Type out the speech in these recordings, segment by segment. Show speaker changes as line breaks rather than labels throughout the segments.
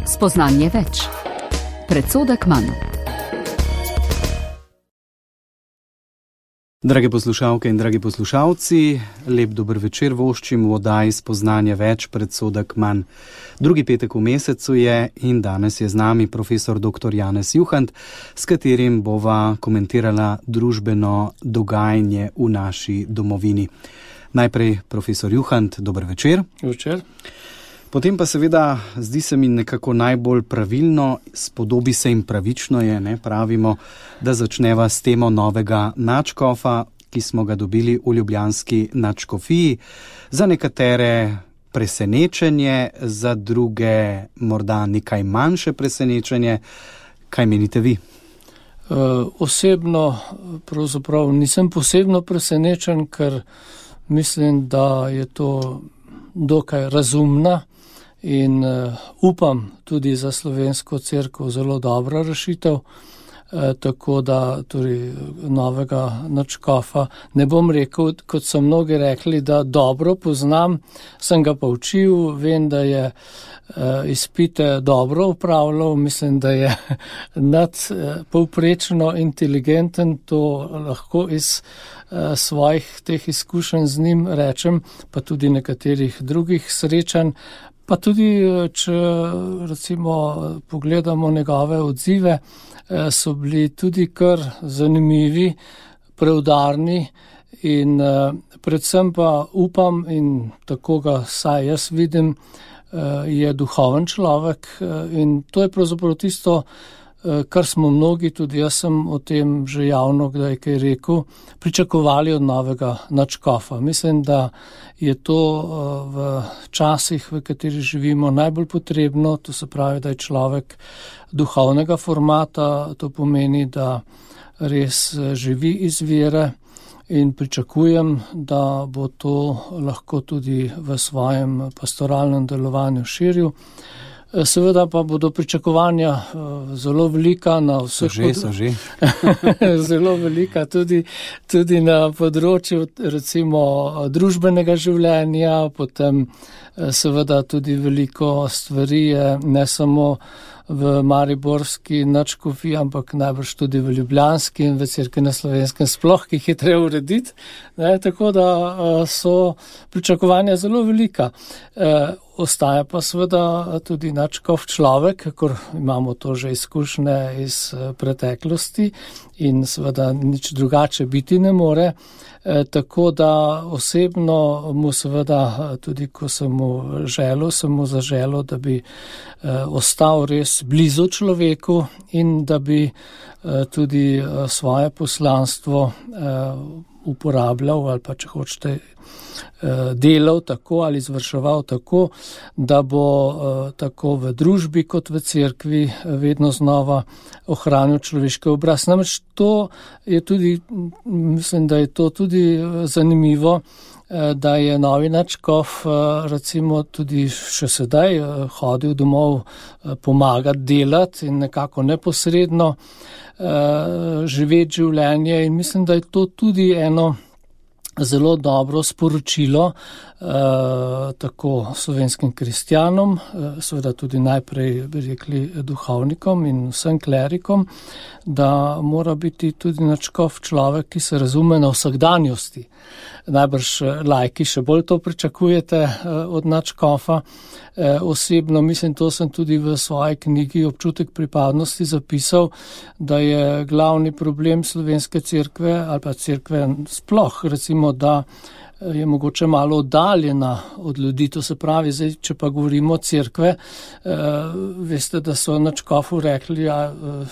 Spoznanje več. Predsodek manj.
Drage poslušalke in dragi poslušalci, lep dober večer voščim v oddaji Spoznanje več, predsodek manj. Drugi petek v mesecu je in danes je z nami profesor dr. Janez Juhant, s katerim bova komentirala družbeno dogajanje v naši domovini. Najprej profesor Juhant, dober večer.
Večer.
Potem pa seveda zdi se mi nekako najbolj pravilno, spodobi se in pravično je, pravimo, da začneva s temo novega nadškofa, ki smo ga dobili v ljubljanski nadškofiji. Za nekatere presenečenje, za druge morda nekaj manjše presenečenje. Kaj menite vi?
Osebno pravzaprav nisem posebno presenečen, ker mislim, da je to dokaj razumna in upam tudi za slovensko cerkev zelo dobra rešitev, tako da tudi novega nadškofa ne bom rekel, kot so mnogi rekli, da dobro poznam, sem ga pa učil, vem, da je izpite dobro upravljal, mislim, da je nadpovprečno inteligenten, to lahko iz svojih teh izkušenj z njim rečem, pa tudi nekaterih drugih srečanj. Pa tudi, če recimo pogledamo njegove odzive, so bili tudi kar zanimivi, preudarni in predvsem pa upam in tako ga saj jaz vidim, je duhoven človek in to je pravzaprav tisto, kar smo mnogi, tudi jaz sem o tem že javno kdaj kaj rekel, pričakovali od novega nadškofa. Mislim, da je to v časih, v kateri živimo, najbolj potrebno, to se pravi, da je človek duhovnega formata, to pomeni, da res živi iz vere in pričakujem, da bo to lahko tudi v svojem pastoralnem delovanju širil. Seveda pa bodo pričakovanja zelo velika na vseh zelo velika tudi na področju recimo družbenega življenja, potem seveda tudi veliko stvari je ne samo v mariborski nadškofiji, ampak najbrž tudi v ljubljanski in v Cerkvi na Slovenskem sploh, ki jih je treba urediti. Tako da so pričakovanja zelo velika. Ostaja pa seveda tudi nadškof človek, ker imamo to že izkušnje iz preteklosti in seveda nič drugače biti ne more. Tako da osebno mu seveda tudi, ko sem mu zaželel, da bi ostal res blizu človeku in da bi tudi svoje poslanstvo uporabljal ali pa, če hočete, delal tako ali izvrševal tako, da bo tako v družbi kot v cerkvi vedno znova ohranil človeški obraz. Namreč to je tudi, mislim, da je to tudi zanimivo, da je novi nadškof recimo tudi še sedaj hodil domov pomagati, delati in nekako neposredno živeti življenje in mislim, da je to tudi eno zelo dobro sporočilo tako slovenskim kristjanom, seveda tudi najprej bi rekli duhovnikom in vsem klerikom, da mora biti tudi nadškof človek, ki se razume na vsakdanjosti. Najbrž laiki še bolj to pričakujete od nadškofa. Osebno mislim, to sem tudi v svoji knjigi Občutek pripadnosti zapisal, da je glavni problem slovenske cerkve ali pa cerkve sploh, recimo, da je mogoče malo oddaljena od ljudi, to se pravi, zdaj, če pa govorimo o cerkve, veste, da so nadškofu rekli,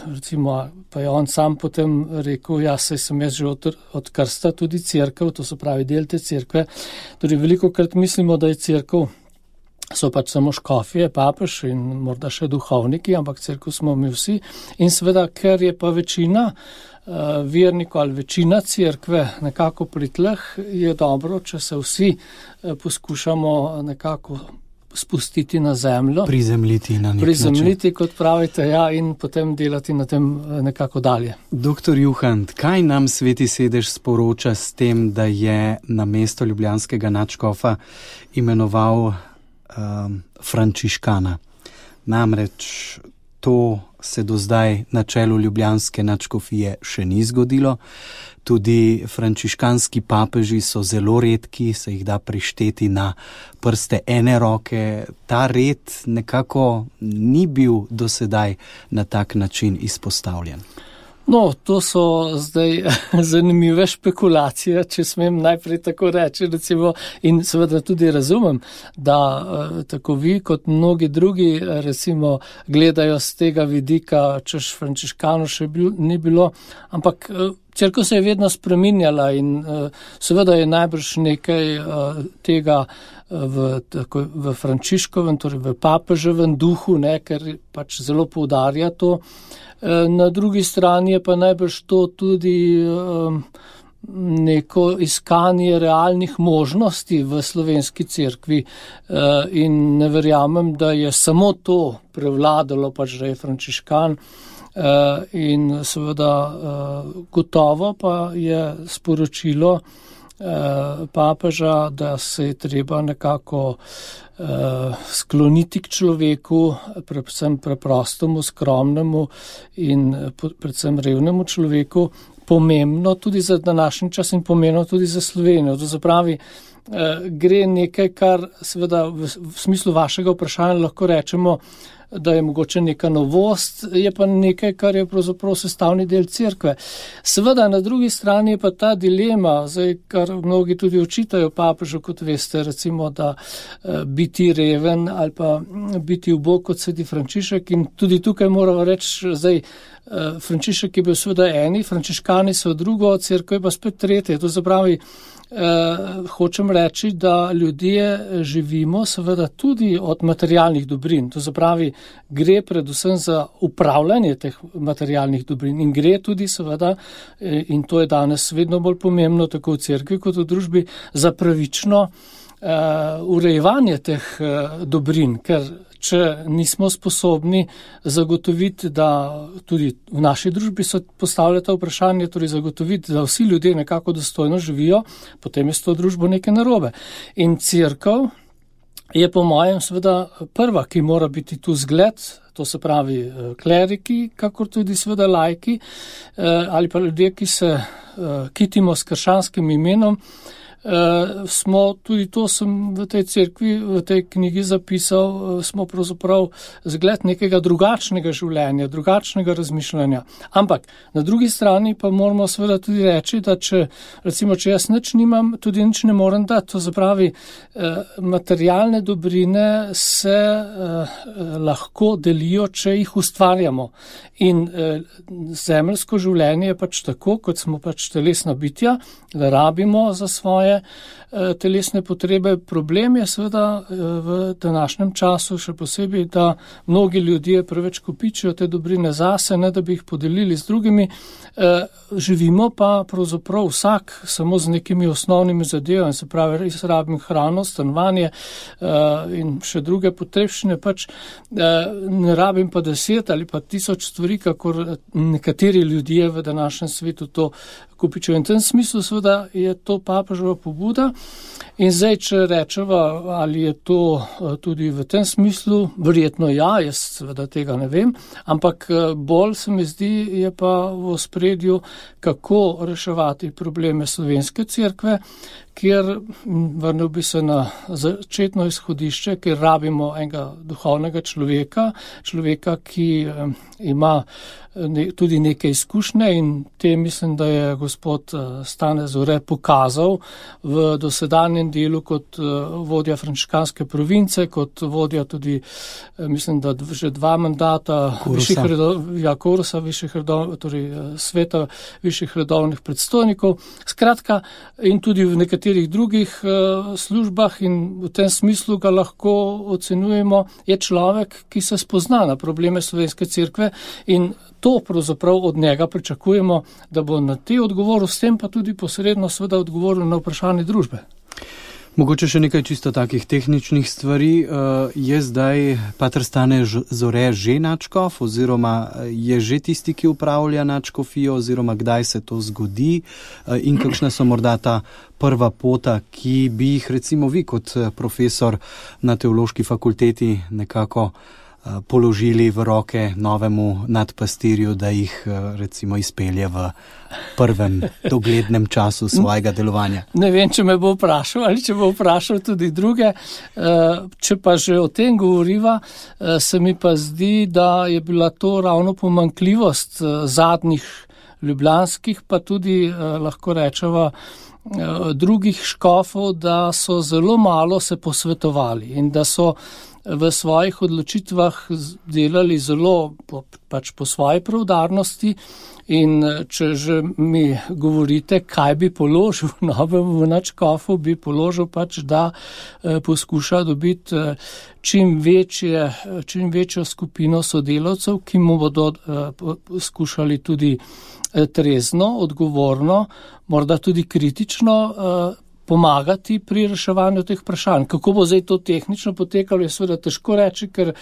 recimo, pa je on sam potem rekel, saj sem jaz že od krsta tudi cerkev, to se pravi del te cerkve, torej velikokrat mislimo, da je cerkev, so pač samo škofje, papež in morda še duhovniki, ampak cerkev smo mi vsi in seveda, ker je pa večina vernikov ali večina cerkve nekako pri tleh, je dobro, če se vsi poskušamo nekako spustiti na zemljo.
Prizemljiti na nek način.
Prizemljiti, kot pravite, in potem delati na tem nekako dalje.
Doktor Juhant, kaj nam Sveti sedež sporoča s tem, da je na mesto ljubljanskega nadškofa imenoval Frančiškana? Namreč to se do zdaj na čelu ljubljanske nadškofije še ni zgodilo. Tudi frančiškanski papeži so zelo redki, se jih da prišteti na prste ene roke. Ta red nekako ni bil do sedaj na tak način izpostavljen.
No, to so zdaj zanimive špekulacije, če smem najprej tako reči, recimo, in seveda tudi razumem, da tako vi kot mnogi drugi recimo gledajo z tega vidika, češ frančiškanov še ni bilo, ampak cerkev se je vedno spreminjala in seveda je najbrž nekaj tega v Frančiškovem, torej v papeževem duhu, ne, ker pač zelo poudarja to. Na drugi strani je pa najbrž to tudi neko iskanje realnih možnosti v slovenski cerkvi in ne verjamem, da je samo to prevladalo, pač da je frančiškan. In seveda gotovo pa je sporočilo papeža, da se je treba nekako skloniti k človeku, predvsem preprostemu, skromnemu in predvsem revnemu človeku, pomembno tudi za današnji čas in pomembno tudi za Slovenijo. To se pravi, gre nekaj, kar seveda v smislu vašega vprašanja lahko rečemo, da je mogoče neka novost, je pa nekaj, kar je pravzaprav sestavni del cerkve. Seveda, na drugi strani je pa ta dilema, zdaj, kar mnogi tudi očitajo papežu, kot veste, recimo, da biti reven ali pa biti ubog kot sveti Frančišek, in tudi tukaj moramo reči, zdaj, Frančišek je bil seveda eni, frančiškani so drugo, cerkev je pa spet tretje. To se pravi, hočem reči, da ljudje živimo seveda tudi od materialnih dobrin. To se pravi, gre predvsem za upravljanje teh materialnih dobrin in gre tudi seveda, in to je danes vedno bolj pomembno, tako v cerkvi kot v družbi, za pravično urejevanje teh dobrin, ker če nismo sposobni zagotoviti, da tudi v naši družbi se postavlja to vprašanje, torej zagotoviti, da vsi ljudje nekako dostojno živijo, potem je s to družbo nekaj narobe. In cerkev je po mojem seveda prva, ki mora biti tu zgled, to se pravi kleriki, kakor tudi seveda laiki ali pa ljudje, ki se kitimo s krščanskim imenom. Smo tudi to sem v tej cerkvi, v tej knjigi zapisal, smo pravzaprav zgled nekega drugačnega življenja, drugačnega razmišljanja. Ampak na drugi strani pa moramo seveda tudi reči, da če jaz nič nimam, tudi nič ne morem dati. To se pravi, materialne dobrine se lahko delijo, če jih ustvarjamo. In zemeljsko življenje je pač tako, kot smo pač telesna bitja, da rabimo za svoje telesne potrebe. Problem je seveda v današnjem času še posebej, da mnogi ljudje preveč kopičijo te dobrine zase, ne da bi jih podelili z drugimi. Živimo pa pravzaprav vsak samo z nekimi osnovnimi zadevami, se pravi, res rabim hrano, stanovanje in še druge potrebščine, pač ne rabim pa 10 ali pa 1000 stvari, kakor nekateri ljudje v današnjem svetu to kopičijo. In v tem smislu seveda je to papeževa pobuda. In zdaj, če rečeva, ali je to tudi v tem smislu, verjetno ja, jaz seveda tega ne vem, ampak bolj se mi zdi, je pa v ospredju, kako reševati probleme slovenske cerkve, kjer vrnil bi se na začetno izhodišče, kjer rabimo enega duhovnega človeka, ki ima tudi neke izkušnje, in te mislim, da je gospod Stane Zore pokazal v dosedanjem delu kot vodja frančiškanske province, kot vodja tudi, mislim, da že 2 mandata Korusa, torej sveta višjih redovnih predstojnikov. Skratka, in tudi v nekaterih drugih službah, in v tem smislu ga lahko ocenjujemo, je človek, ki se spozna na probleme slovenske cerkve, in to pravzaprav od njega pričakujemo, da bo na te odgovoril, s tem pa tudi posredno seveda odgovoril na vprašanje družbe.
Mogoče še nekaj čisto takih tehničnih stvari. Je zdaj pater Stane Zore že nadškof, oziroma je že tisti, ki upravlja nadškofijo, oziroma kdaj se to zgodi, in kakšna so morda ta prva pota, ki bi jih recimo vi kot profesor na teološki fakulteti nekako položili v roke novemu nadpastirju, da jih recimo izpelje v prvem doglednem času svojega delovanja?
Ne vem, če me bo vprašal ali če bo vprašal tudi druge. Če pa že o tem govoriva, se mi pa zdi, da je bila to ravno pomanjkljivost zadnjih ljubljanskih, pa tudi lahko rečeva drugih škofov, da so zelo malo se posvetovali in da so v svojih odločitvah delali zelo po svoji preudarnosti. In če že mi govorite, kaj bi položil novemu nadškofu, bi položil da poskuša dobiti čim večjo skupino sodelavcev, ki mu bodo skušali tudi trezno, odgovorno, morda tudi kritično pomagati pri reševanju teh vprašanj. Kako bo zdaj to tehnično potekalo, je seveda težko reči, ker,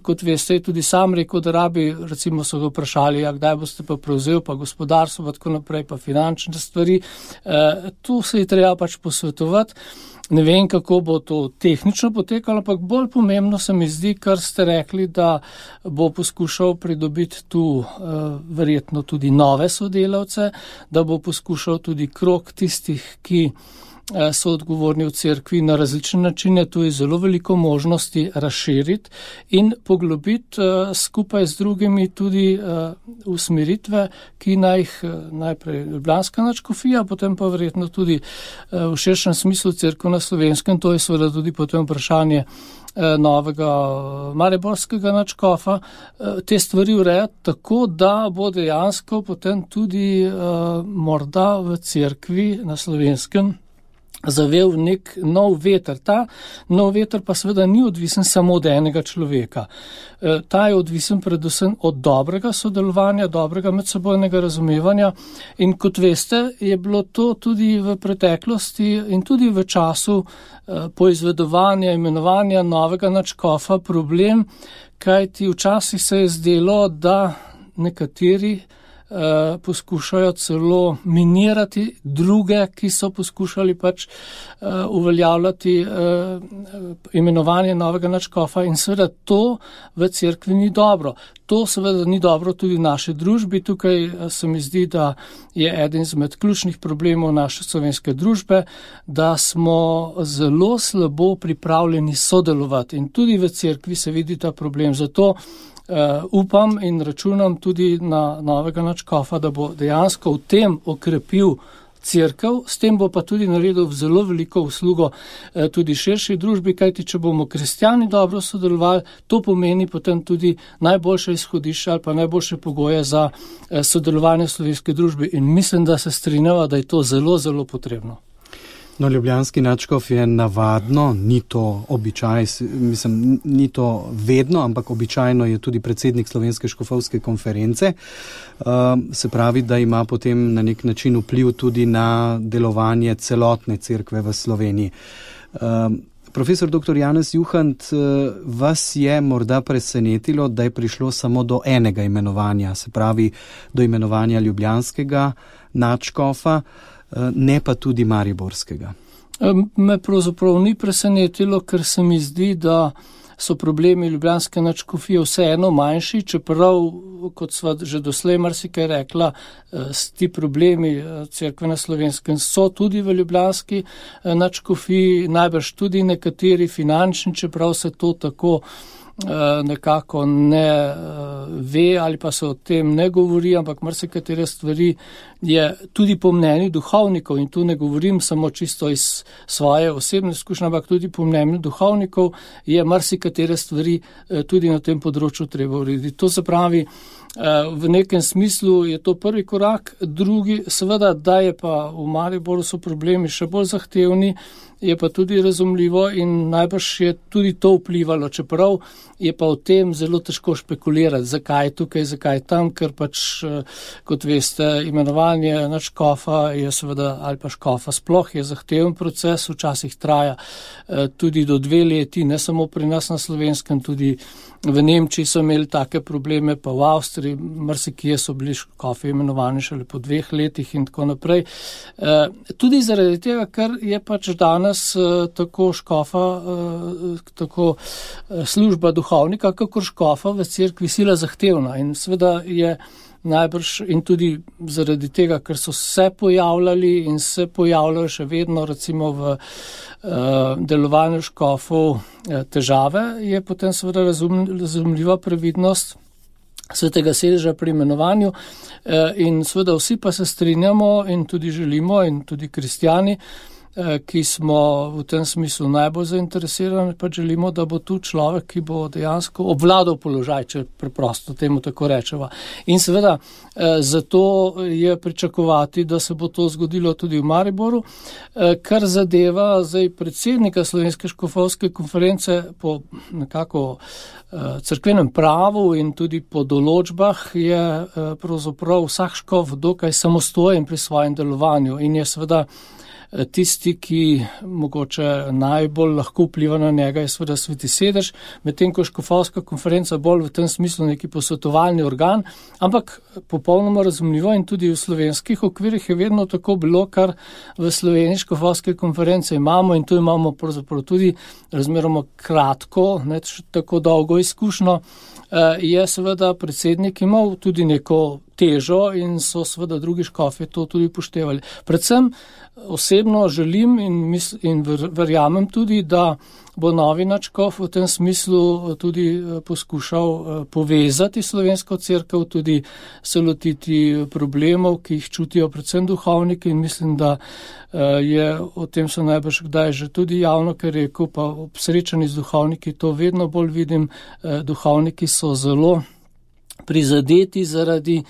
kot veste, je tudi sam rekel, da rabi, recimo so ga vprašali, kdaj boste pa prevzel, pa gospodarstvo, pa tako naprej, pa finančne stvari. Tu se je treba posvetovati. Ne vem, kako bo to tehnično potekalo, ampak bolj pomembno se mi zdi, kar ste rekli, da bo poskušal pridobiti tu verjetno tudi nove sodelavce, da bo poskušal tudi krog tistih, ki so odgovorni v cerkvi na različne načine, tu je zelo veliko možnosti razširiti in poglobiti skupaj z drugimi tudi usmeritve, ki najprej ljubljanska nadškofija, potem pa verjetno tudi v širšem smislu cerkev na Slovenskem, to je seveda tudi potem vprašanje novega mariborskega nadškofa, te stvari urejati tako, da bo dejansko potem tudi morda v cerkvi na Slovenskem zavel nek nov veter. Ta nov veter pa seveda ni odvisen samo od enega človeka. Ta je odvisen predvsem od dobrega sodelovanja, dobrega medsebojnega razumevanja in kot veste, je bilo to tudi v preteklosti in tudi v času poizvedovanja, imenovanja novega nadškofa problem, kajti včasih se je zdelo, da nekateri poskušajo celo minirati druge, ki so poskušali uveljavljati imenovanje novega nadškofa in seveda to v cerkvi ni dobro. To seveda ni dobro tudi v naši družbi. Tukaj se mi zdi, da je eden izmed ključnih problemov naše slovenske družbe, da smo zelo slabo pripravljeni sodelovati in tudi v cerkvi se vidi ta problem. Zato upam in računam tudi na novega nadškofa, da bo dejansko v tem okrepil cerkev, s tem bo pa tudi naredil zelo veliko uslugo tudi širši družbi, kajti če bomo kristjani dobro sodelovali, to pomeni potem tudi najboljše izhodišče ali pa najboljše pogoje za sodelovanje v slovenski družbi in mislim, da se strinjava, da je to zelo, zelo potrebno.
No, ljubljanski nadškof je navadno, ni to običaj, ni to vedno, ampak običajno je tudi predsednik Slovenske škofovske konference. Se pravi, da ima potem na nek način vpliv tudi na delovanje celotne cerkve v Sloveniji. Profesor dr. Janez Juhant, vas je morda presenetilo, da je prišlo samo do enega imenovanja, se pravi do imenovanja ljubljanskega nadškofa, ne pa tudi mariborskega?
Me pravzaprav ni presenetilo, ker se mi zdi, da so problemi ljubljanske nadškofije vseeno manjši, čeprav, kot sva že doslej marsikaj rekla, ti problemi cerkve na Slovenskem so tudi v ljubljanski nadškofiji, najbrž tudi nekateri finančni, čeprav se to tako nekako ne ve ali pa se o tem ne govori, ampak marsikatere stvari je tudi po mnenju duhovnikov in tu ne govorim samo čisto iz svoje osebne izkušnje, ampak tudi po mnenju duhovnikov je marsikatere stvari tudi na tem področju treba urediti. To se pravi, v nekem smislu je to prvi korak, drugi seveda, da je pa v Mariboru so problemi še bolj zahtevni, je pa tudi razumljivo in najbrž je tudi to vplivalo, čeprav je pa o tem zelo težko špekulirati, zakaj tukaj, zakaj tam, ker kot veste, imenovanje nadškofa je seveda, ali pa škofa sploh je zahteven proces, včasih traja tudi do 2 leti, ne samo pri nas na Slovenskem, tudi v Nemčiji so imeli take probleme, pa v Avstriji, marsikje so bili škofi imenovani šele po 2 letih in tako naprej. Tudi zaradi tega, ker je danes nas tako škofa, tako služba duhovnika, kakor škofa v cerkvi sila zahtevna in seveda je najbrž in tudi zaradi tega, ker so se pojavljali in se pojavljajo še vedno recimo v delovanju škofov težave, je potem seveda razumljiva previdnost svetega sedeža pri imenovanju in seveda vsi pa se strinjamo in tudi želimo in tudi kristjani, ki smo v tem smislu najbolj zainteresirani, pa želimo, da bo tu človek, ki bo dejansko obvladal položaj, če preprosto temu tako rečeva. In seveda zato je pričakovati, da se bo to zgodilo tudi v Mariboru, kar zadeva zdaj predsednika Slovenske škofovske konference po nekako cerkvenem pravu in tudi po določbah je pravzaprav vsak škof dokaj samostojen pri svojem delovanju in je seveda tisti, ki mogoče najbolj lahko vpliva na njega, je seveda sveti sedež, medtem ko škofovska konferenca bolj v tem smislu neki posvetovalni organ, ampak popolnoma razumljivo in tudi v slovenskih okvirih je vedno tako bilo, kar v Sloveniji škofovske konference imamo in tu imamo pravzaprav tudi razmeroma kratko, ne tako dolgo izkušnjo, je seveda predsednik imel tudi neko težo in so seveda drugi škofi to tudi upoštevali. Predvsem osebno želim in verjamem tudi, da bo novi nadškof v tem smislu tudi poskušal povezati slovensko cerkev, tudi se lotiti problemov, ki jih čutijo predvsem duhovniki in mislim, da je o tem so najbrž kdaj že tudi javno, ker rekel, pa ob srečanju z duhovniki to vedno bolj vidim, duhovniki so zelo prizadeti zaradi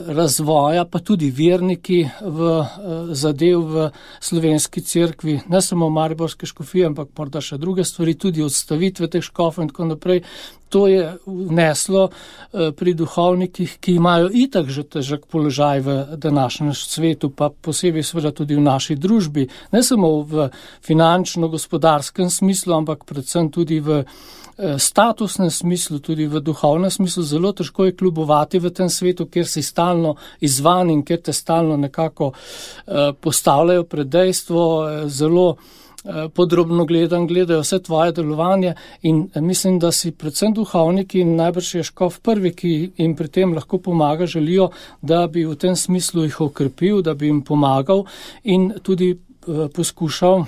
razvoja, pa tudi verniki v zadev v slovenski cerkvi, ne samo mariborske škofije, ampak morda še druge stvari, tudi odstavitve teh škofov in tako naprej. To je vneslo pri duhovnikih, ki imajo itak že težak položaj v današnjem svetu, pa posebej seveda tudi v naši družbi, ne samo v finančno-gospodarskem smislu, ampak predvsem tudi v statusnem smislu, tudi v duhovnem smislu. Zelo težko je kljubovati v tem svetu, kjer si stalno izvan in kjer te stalno nekako postavljajo pred dejstvo, zelo podrobno gledajo vse tvoje delovanje in mislim, da si predvsem duhovniki in najbrž je škof prvi, ki jim pri tem lahko pomaga, želijo, da bi v tem smislu jih okrepil, da bi jim pomagal in tudi poskušal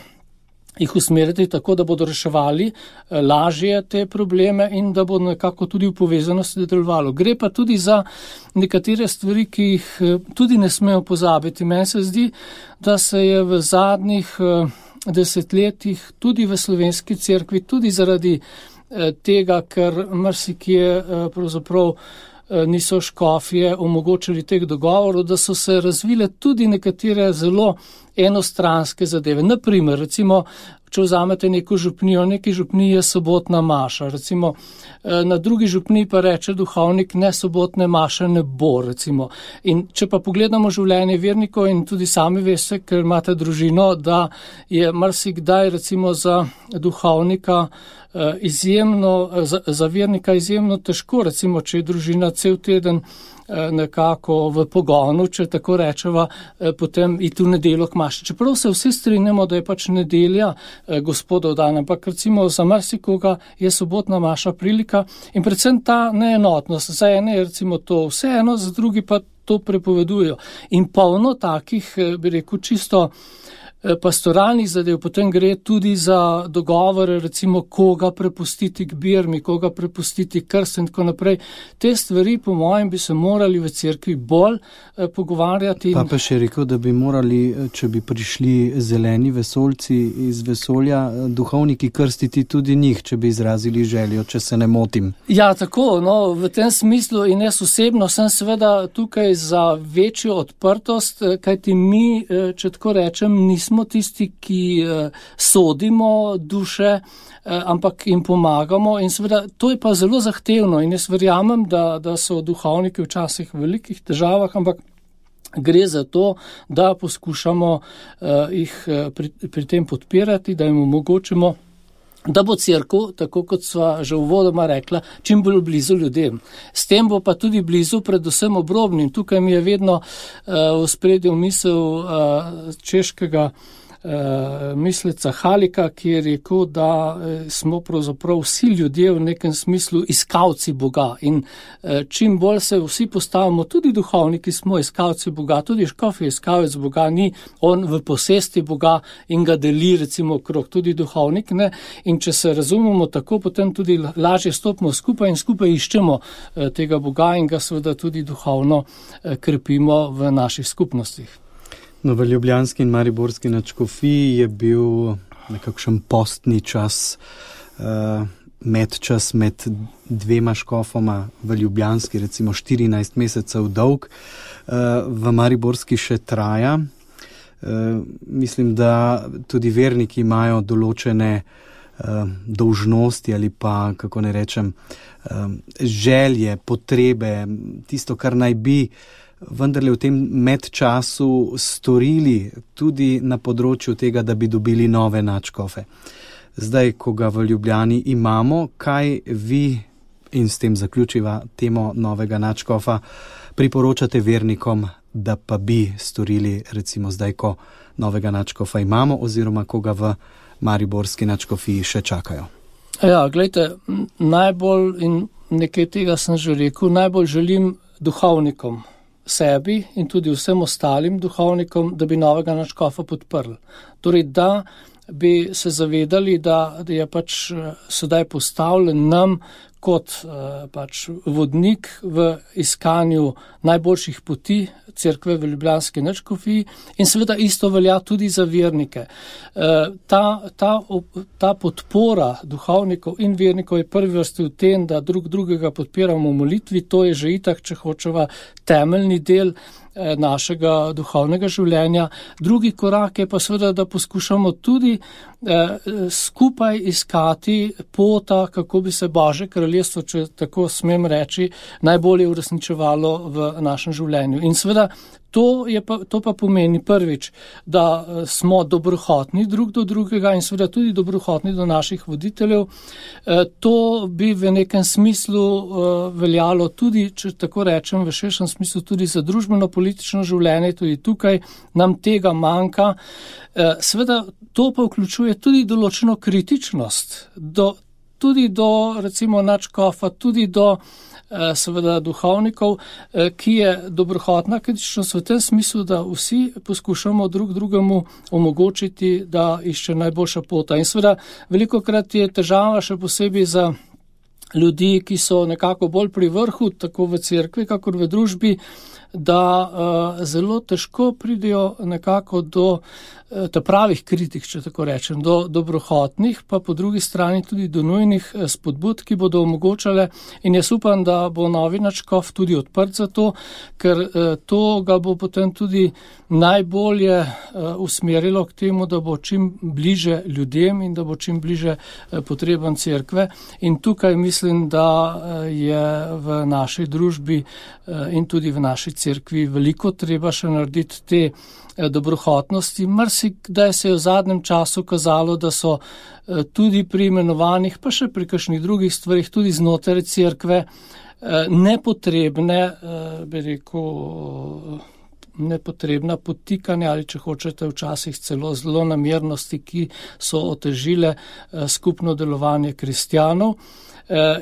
jih usmeriti tako, da bodo reševali lažje te probleme in da bo nekako tudi v povezanosti delovalo. Gre pa tudi za nekatere stvari, ki jih tudi ne smemo pozabiti. Meni se zdi, da se je v zadnjih desetletjih tudi v slovenski cerkvi, tudi zaradi tega, ker marsikje pravzaprav niso škofje omogočili teh dogovorov, da so se razvile tudi nekatere zelo enostranske zadeve. Naprimer, recimo, če vzamete neko župnijo, neki župniji je sobotna maša, recimo na drugi župniji pa reče duhovnik, ne sobotne maše ne bo, recimo. In če pa pogledamo življenje vernikov in tudi sami veste, ker imate družino, da je marsikdaj recimo za duhovnika izjemno, za vernika izjemno težko, recimo, če je družina cel teden nekako v pogonu, če tako rečeva, potem iti v nedeljo k maši. Čeprav se vsi strinjamo, da je pač nedelja Gospodov dan, ampak recimo za marsikoga je sobotna maša prilika in predvsem ta neenotnost. Za ene je recimo to vseeno, za drugi pa to prepovedujejo. In polno takih, bi rekel, čisto pastoralnih zadev, potem gre tudi za dogovore, recimo koga prepustiti k birmi, koga prepustiti krst in tako naprej. Te stvari, po mojem, bi se morali v cerkvi bolj pogovarjati.
Pa še rekel, da bi morali, če bi prišli zeleni vesoljci iz vesolja, duhovniki krstiti tudi njih, če bi izrazili željo, če se ne motim.
Ja, tako, no, v tem smislu in jaz osebno sem seveda tukaj za večjo odprtost, kajti mi, če tako rečem, nismo tisti, ki sodimo duše, ampak jim pomagamo in seveda to je pa zelo zahtevno in jaz verjamem, da so duhovniki včasih v velikih težavah, ampak gre za to, da poskušamo jih pri tem podpirati, da jim omogočimo, da bo cerkev, tako kot sva že uvodoma rekla, čim bolj blizu ljudem. S tem bo pa tudi blizu predvsem obrobnim. Tukaj mi je vedno v spredju misel češkega misleca Halika, ki je rekel, da smo pravzaprav vsi ljudje v nekem smislu iskalci Boga in čim bolj se vsi postavimo, tudi duhovniki smo iskalci Boga, tudi škof je iskalec Boga, ni on v posesti Boga in ga deli recimo okrog, tudi duhovnik, ne, in če se razumemo tako, potem tudi lažje stopimo skupaj in skupaj iščemo tega Boga in ga seveda tudi duhovno krepimo v naših skupnostih.
No, v ljubljanski in mariborski nadškofiji je bil nekakšen postni čas, medčas med dvema škofoma, v ljubljanski recimo 14 mesecev dolg, v mariborski še traja. Mislim, da tudi verniki imajo določene dolžnosti ali pa, kako ne rečem, želje, potrebe, tisto, kar naj bi vendarle v tem medčasu storili tudi na področju tega, da bi dobili nove nadškofe. Zdaj, ko ga v Ljubljani imamo, kaj vi, in s tem zaključiva temo novega nadškofa, priporočate vernikom, da pa bi storili recimo zdaj, ko novega nadškofa imamo oziroma ko ga v mariborski nadškofiji še čakajo?
Ja, gledajte, najbolj, in nekaj tega sem že rekel, najbolj želim duhovnikom, sebi in tudi vsem ostalim duhovnikom, da bi novega nadškofa podprli. Torej, da bi se zavedali, da je pač sedaj postavljen nam kot pač vodnik v iskanju najboljših poti cerkve v ljubljanski nadškofiji in seveda isto velja tudi za vernike. Ta podpora duhovnikov in vernikov je prvi vrsti v tem, da drug drugega podpiramo v molitvi, to je že itak, če hočeva, temeljni del našega duhovnega življenja. Drugi korak je pa seveda, da poskušamo tudi skupaj iskati pota, kako bi se Božje kraljestvo, če tako smem reči, najbolje uresničevalo v našem življenju. In seveda to pa pomeni prvič, da smo dobrohotni drug do drugega in seveda tudi dobrohotni do naših voditeljev. To bi v nekem smislu veljalo tudi, če tako rečem, v širšem smislu tudi za družbeno-politično življenje, tudi tukaj nam tega manjka. Seveda to pa vključuje tudi določeno kritičnost, tudi do recimo nadškofa, tudi do seveda duhovnikov, ki je dobrohotna kritičnost v tem smislu, da vsi poskušamo drug drugemu omogočiti, da išče najboljša pota. In seveda velikokrat je težava še posebej za ljudi, ki so nekako bolj pri vrhu, tako v cerkvi, kakor v družbi, da zelo težko pridejo nekako do pravih kritik, če tako rečem, do dobrohotnih, pa po drugi strani tudi do nujnih spodbud, ki bodo omogočale, in jaz upam, da bo novi nadškof tudi odprt za to, ker to ga bo potem tudi najbolje usmerilo k temu, da bo čim bliže ljudem in da bo čim bliže potrebam cerkve. In tukaj mislim, da je v naši družbi in tudi v naši cerkvi veliko treba še narediti te dobrohotnosti. Marsikdaj se je v zadnjem času kazalo, da so tudi pri imenovanjih, pa še pri kakšnih drugih stvarih, tudi znotraj cerkve, nepotrebne, bi rekel, nepotrebna potikanja ali, če hočete, včasih celo zlonamernosti, ki so otežile skupno delovanje kristjanov.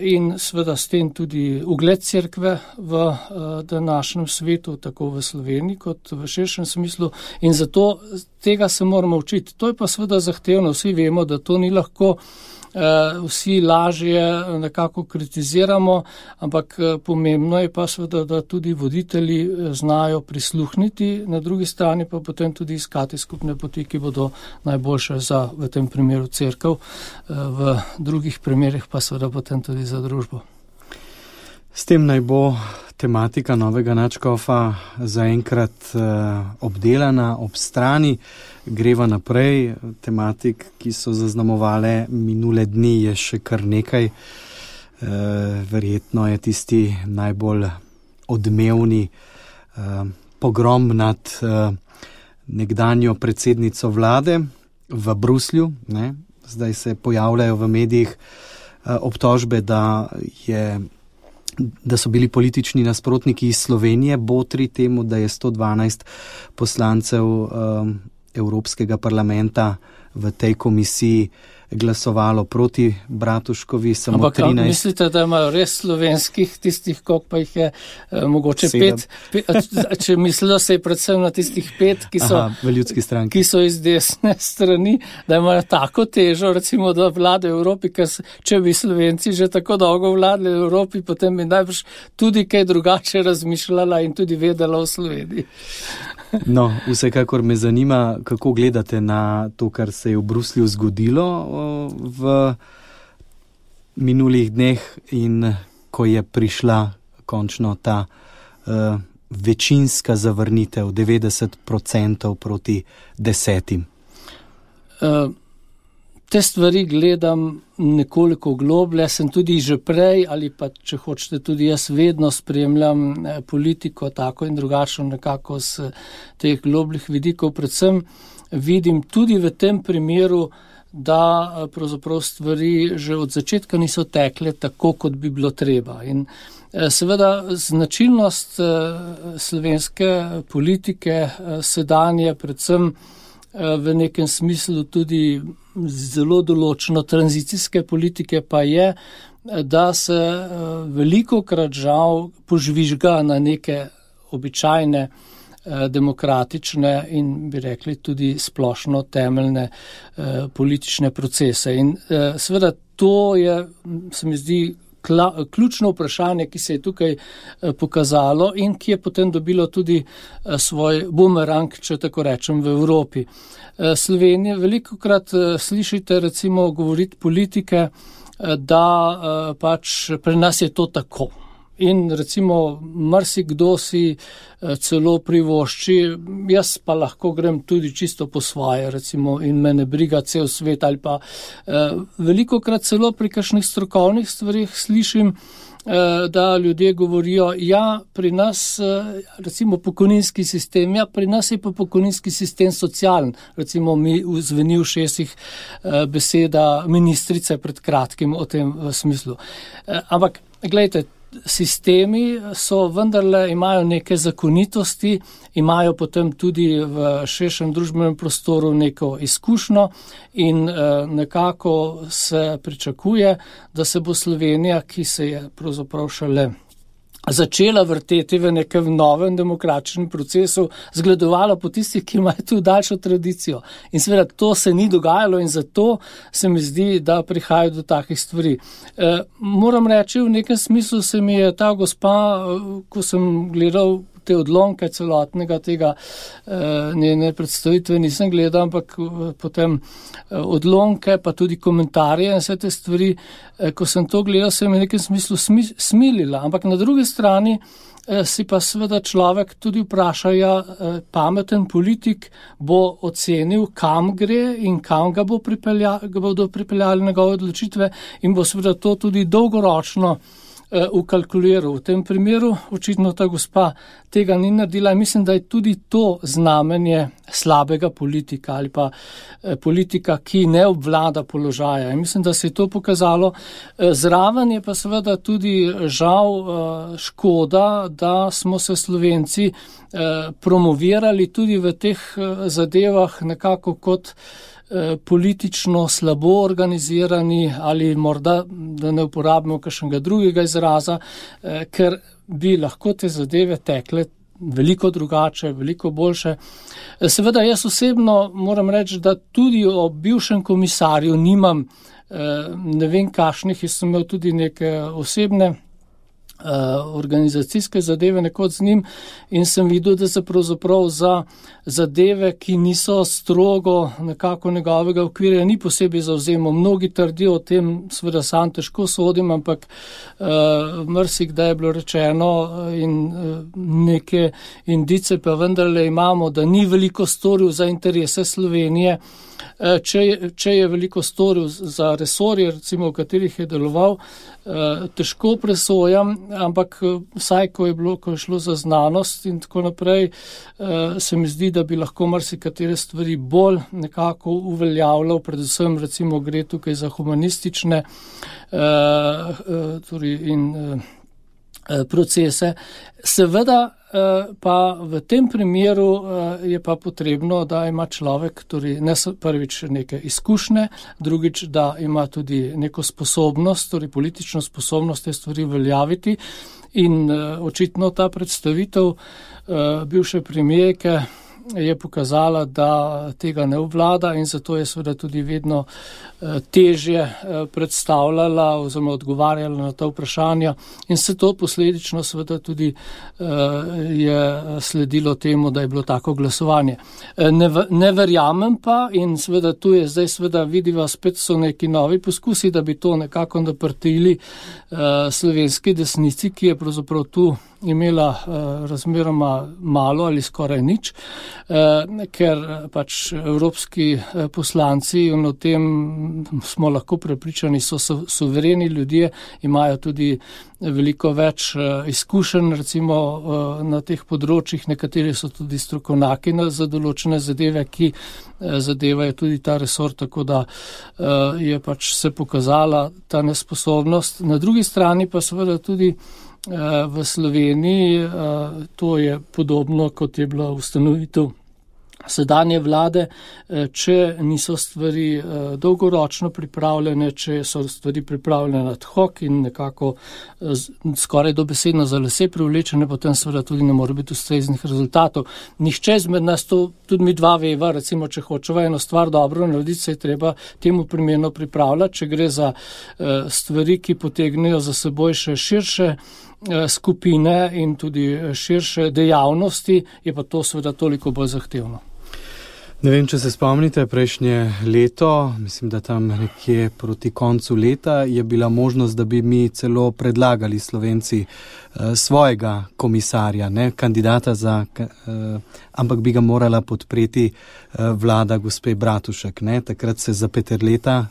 In seveda s tem tudi ugled cerkve v današnjem svetu, tako v Sloveniji kot v širšem smislu, in zato tega se moramo učiti. To je pa seveda zahtevno, vsi vemo, da to ni lahko, vsi lažje nekako kritiziramo, ampak pomembno je pa seveda, da tudi voditelji znajo prisluhniti, na drugi strani pa potem tudi iskati skupne poti, ki bodo najboljše za, v tem primeru, cerkev, v drugih primerih pa seveda potem tudi za družbo.
S tem naj bo tematika novega nadškofa zaenkrat obdelana, ob strani. Greva naprej, tematik, ki so zaznamovale minule dni, je še kar nekaj. Verjetno je tisti najbolj odmevni pogrom nad nekdanjo predsednico vlade v Bruslju. Ne? Zdaj se pojavljajo v medijih obtožbe, da so bili politični nasprotniki iz Slovenije botri temu, da je 112 poslancev Evropskega parlamenta v tej komisiji glasovalo proti Bratuškovi, samo
ampak
13.
Ampak mislite, da imajo res slovenskih tistih, koliko pa jih je mogoče 5, če mislijo se je predvsem na tistih 5, ki so iz desne strani, da imajo tako težo, recimo, da vlade v Evropi, ker če bi Slovenci že tako dolgo vladali v Evropi, potem bi najbrž tudi kaj drugače razmišljala in tudi vedela o Sloveniji.
No, vsekakor me zanima, kako gledate na to, kar se je v Bruslju zgodilo v minulih dneh in ko je prišla končno ta večinska zavrnitev 90% proti 10%.
Te stvari gledam nekoliko globlje, sem tudi že prej ali pa, če hočete, tudi jaz vedno spremljam politiko tako in drugačno nekako z teh globljih vidikov. Predvsem vidim tudi v tem primeru, da pravzaprav stvari že od začetka niso tekle tako, kot bi bilo treba. In seveda značilnost slovenske politike sedanje, predvsem v nekem smislu tudi zelo določeno tranzicijske politike pa je, da se velikokrat žal požvižga na neke običajne demokratične in bi rekli tudi splošno temeljne politične procese. In seveda to je, se mi zdi, ključno vprašanje, ki se je tukaj pokazalo in ki je potem dobilo tudi svoj bumerang, če tako rečem, v Evropi. Slovenija, velikokrat slišite recimo govoriti politike, da pač pri nas je to tako. In recimo marsikdo si celo privošči, jaz pa lahko grem tudi čisto po svoje, recimo, in me ne briga cel svet ali pa velikokrat celo pri kakšnih strokovnih stvarih slišim, da ljudje govorijo, ja, pri nas, recimo pokojninski sistem, ja, pri nas je pa pokojninski sistem socialen, recimo mi zveni v šestih beseda ministrice pred kratkim o tem smislu. Ampak, gledajte, sistemi so vendarle, imajo neke zakonitosti, imajo potem tudi v širšem družbenem prostoru neko izkušnjo in nekako se pričakuje, da se bo Slovenija, ki se je pravzaprav šele začela vrteti v nekem novem demokratičnem procesu, zgledovala po tistih, ki imajo tu daljšo tradicijo. In seveda to se ni dogajalo in zato se mi zdi, da prihajajo do takih stvari. Moram reči, v nekem smislu se mi je ta gospa, ko sem gledal te odlomke celotnega tega njene predstavitve, nisem gledal, ampak potem odlomke, pa tudi komentarje in vse te stvari, ko sem to gledal, se mi v nekem smislu smilila. Ampak na drugi strani si pa seveda človek tudi vpraša, pameten politik bo ocenil, kam gre in kam ga bodo pripeljali njegove odločitve in bo seveda to tudi dolgoročno ukalkuliral. V tem primeru očitno ta gospa tega ni naredila in mislim, da je tudi to znamenje slabega politika ali pa politika, ki ne obvlada položaja. In mislim, da se je to pokazalo. Zraven je pa seveda tudi žal škoda, da smo se Slovenci promovirali tudi v teh zadevah nekako kot politično slabo organizirani ali morda, da ne uporabimo kakšnega drugega izraza, ker bi lahko te zadeve tekle veliko drugače, veliko boljše. Seveda jaz osebno moram reči, da tudi o bivšem komisarju nimam ne vem kakšnih, jaz sem imel tudi neke osebne organizacijske zadeve nekoč z njim in sem videl, da se pravzaprav za zadeve, ki niso strogo nekako njegovega okvirja, ni posebej zavzemal. Mnogi trdijo o tem, seveda sam težko sodim, ampak marsikdaj je bilo rečeno in neke indice pa vendarle imamo, da ni veliko storil za interese Slovenije. Če je veliko storil za resorje, recimo v katerih je deloval, težko presojam, ampak vsaj, ko je šlo za znanost in tako naprej, se mi zdi, da bi lahko marsikatere stvari bolj nekako uveljavljal, predvsem recimo gre tukaj za humanistične procese. Seveda pa v tem primeru je pa potrebno, da ima človek torej prvič neke izkušnje, drugič, da ima tudi neko sposobnost, torej politično sposobnost te stvari veljaviti. In očitno ta predstavitev bivše premijerke je pokazala, da tega ne obvlada in zato je seveda tudi vedno težje predstavljala oziroma odgovarjala na ta vprašanja in se to posledično seveda tudi je sledilo temu, da je bilo tako glasovanje. Ne verjamem pa in seveda tu je zdaj seveda vidiva, spet so neki novi poskusi, da bi to nekako naprtili slovenski desnici, ki je pravzaprav tu imela razmeroma malo ali skoraj nič, ker pač evropski poslanci in o tem smo lahko prepričani, so suvereni ljudje, imajo tudi veliko več izkušenj recimo na teh področjih, nekateri so tudi strokovnjaki za določene zadeve, ki zadevajo tudi ta resor, tako da je pač se pokazala ta nesposobnost. Na drugi strani pa seveda tudi v Sloveniji, to je podobno, kot je bila ustanovitev sedanje vlade, če niso stvari dolgoročno pripravljene, če so stvari pripravljene ad hoc in nekako skoraj dobesedno za lase privlečene, potem seveda tudi ne more biti ustreznih rezultatov. Nihče izmed nas, to tudi mi dva veva, recimo, če hočeva eno stvar dobro narediti, se je treba temu primerno pripravljati, če gre za stvari, ki potegnejo za seboj še širše skupine in tudi širše dejavnosti, je pa to seveda toliko bolj zahtevno.
Ne vem, če se spomnite, prejšnje leto, mislim, da tam nekje proti koncu leta, je bila možnost, da bi mi celo predlagali Slovenci svojega komisarja, ne, kandidata ampak bi ga morala podpreti vlada gospe Bratušek. Ne. Takrat se za Peterleta,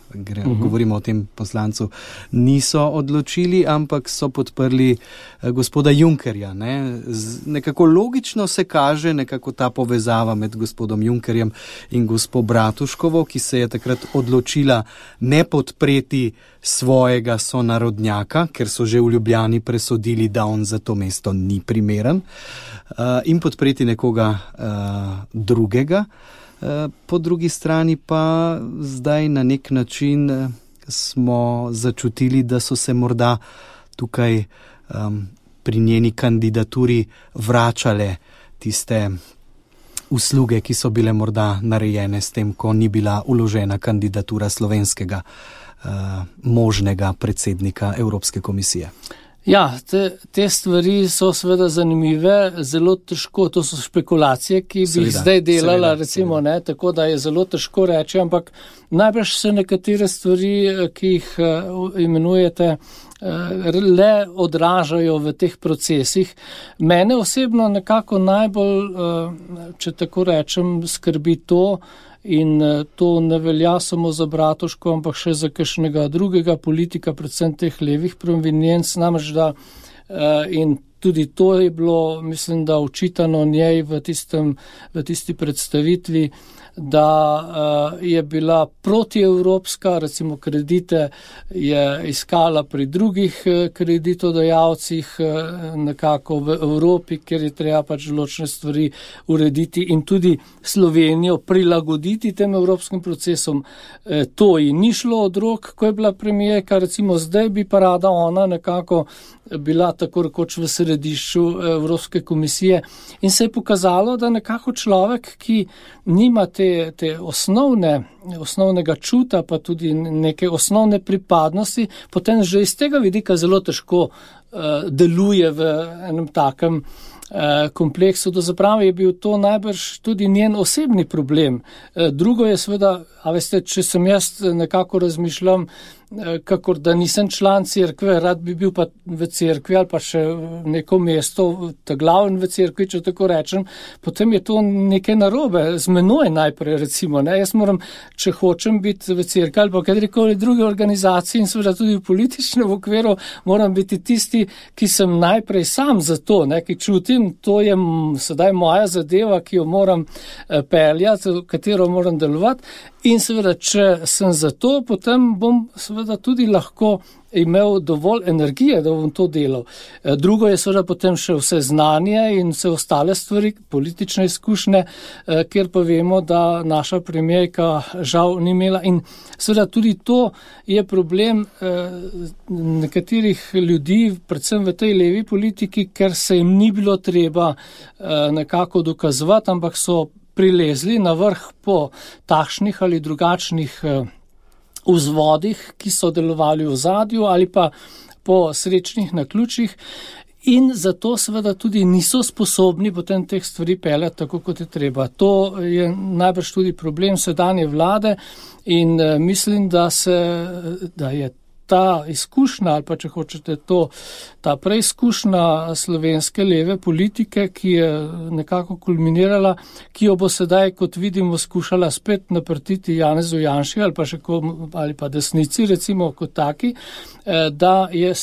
govorimo o tem poslancu, niso odločili, ampak so podprli gospoda Junckerja. Ne. Nekako logično se kaže nekako ta povezava med gospodom Junckerjem in gospo Bratuškovo, ki se je takrat odločila ne podpreti svojega sonarodnjaka, ker so že v Ljubljani presodili, da on za to mesto ni primeren, in podpreti nekoga drugega. Po drugi strani pa zdaj na nek način smo začutili, da so se morda tukaj pri njeni kandidaturi vračale tiste usluge, ki so bile morda narejene s tem, ko ni bila vložena kandidatura slovenskega možnega predsednika Evropske komisije.
Ja, te stvari so seveda zanimive, zelo težko, to so špekulacije, ki bi jih zdaj delala, recimo, ne, tako da je zelo težko reči, ampak najbrž se nekatere stvari, ki jih imenujete, le odražajo v teh procesih. Mene osebno nekako najbolj, če tako rečem, skrbi to, in to ne velja samo za Bratuško, ampak še za kakšnega drugega politika, predvsem teh levih provenienc, namreč da in tudi to je bilo, mislim, da očitano njej v tisti predstavitvi, da je bila protievropska, recimo kredite je iskala pri drugih kreditodajalcih, nekako v Evropi, kjer je treba pač določene stvari urediti in tudi Slovenijo prilagoditi tem evropskim procesom. To ji ni šlo od rok, ko je bila premijerka, recimo zdaj bi pa rada ona nekako bila tako rekoč v središču Evropske komisije in se je pokazalo, da nekako človek, ki nima te osnovnega čuta, pa tudi neke osnovne pripadnosti, potem že iz tega vidika zelo težko deluje v enem takem kompleksu. Do zaprave je bil to najbrž tudi njen osebni problem. Drugo je seveda, a veste, če sem jaz nekako razmišljam, kakor da nisem član cerkve, rad bi bil pa v cerkvi ali pa še neko mesto, ta glaven v cerkvi, če tako rečem, potem je to nekaj narobe. Z menoj najprej, recimo, ne? Jaz moram, če hočem biti v cerkvi ali pa katerikoli druge organizacije in seveda tudi v političnem okviru, moram biti tisti, ki sem najprej sam za to, ne? Ki čutim, to je sedaj moja zadeva, ki jo moram peljati, katero moram delovati. In seveda, če sem za to, potem bom seveda tudi lahko imel dovolj energije, da bom to delal. Drugo je seveda potem še vse znanje in vse ostale stvari, politične izkušnje, kjer pa vemo, da naša premijerka žal ni imela. In seveda tudi to je problem nekaterih ljudi, predvsem v tej levi politiki, ker se jim ni bilo treba nekako dokazovati, ampak so prilezli na vrh po takšnih ali drugačnih vzvodih, ki so delovali v ozadju ali pa po srečnih naključjih in zato seveda tudi niso sposobni potem teh stvari peljati tako, kot je treba. To je najbrž tudi problem sedanje vlade in mislim, da je ta izkušnja ali pa če hočete ta preizkušnja slovenske leve politike, ki je nekako kulminirala, ki jo bo sedaj, kot vidimo, skušala spet naprtiti Janezu Janši ali pa desnici, recimo kot taki, da je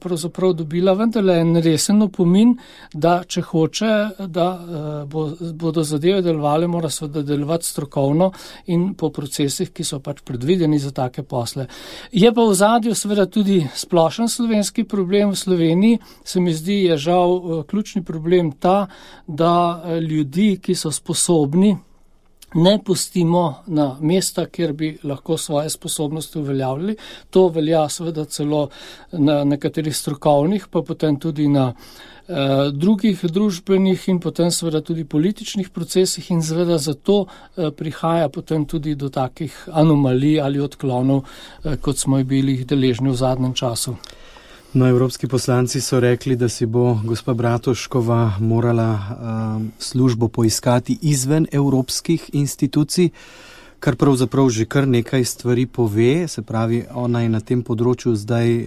pravzaprav dobila vendarle en resen opomin, da če hoče, da bodo zadeve delovale, mora se delovati strokovno in po procesih, ki so pač predvideni za take posle. Je pa v zadju seveda tudi splošen slovenski problem v Sloveniji, se mi zdi, je žal ključni problem ta, da ljudi, ki so sposobni, ne pustimo na mesta, kjer bi lahko svoje sposobnosti uveljavljali. To velja seveda celo na nekaterih strokovnih, pa potem tudi na drugih družbenih in potem seveda tudi političnih procesih in seveda zato prihaja potem tudi do takih anomalij ali odklonov, kot smo bili deležni v zadnjem času.
No, evropski poslanci so rekli, da si bo gospa Bratuškova morala službo poiskati izven evropskih institucij, kar pravzaprav že kar nekaj stvari pove, se pravi, ona je na tem področju zdaj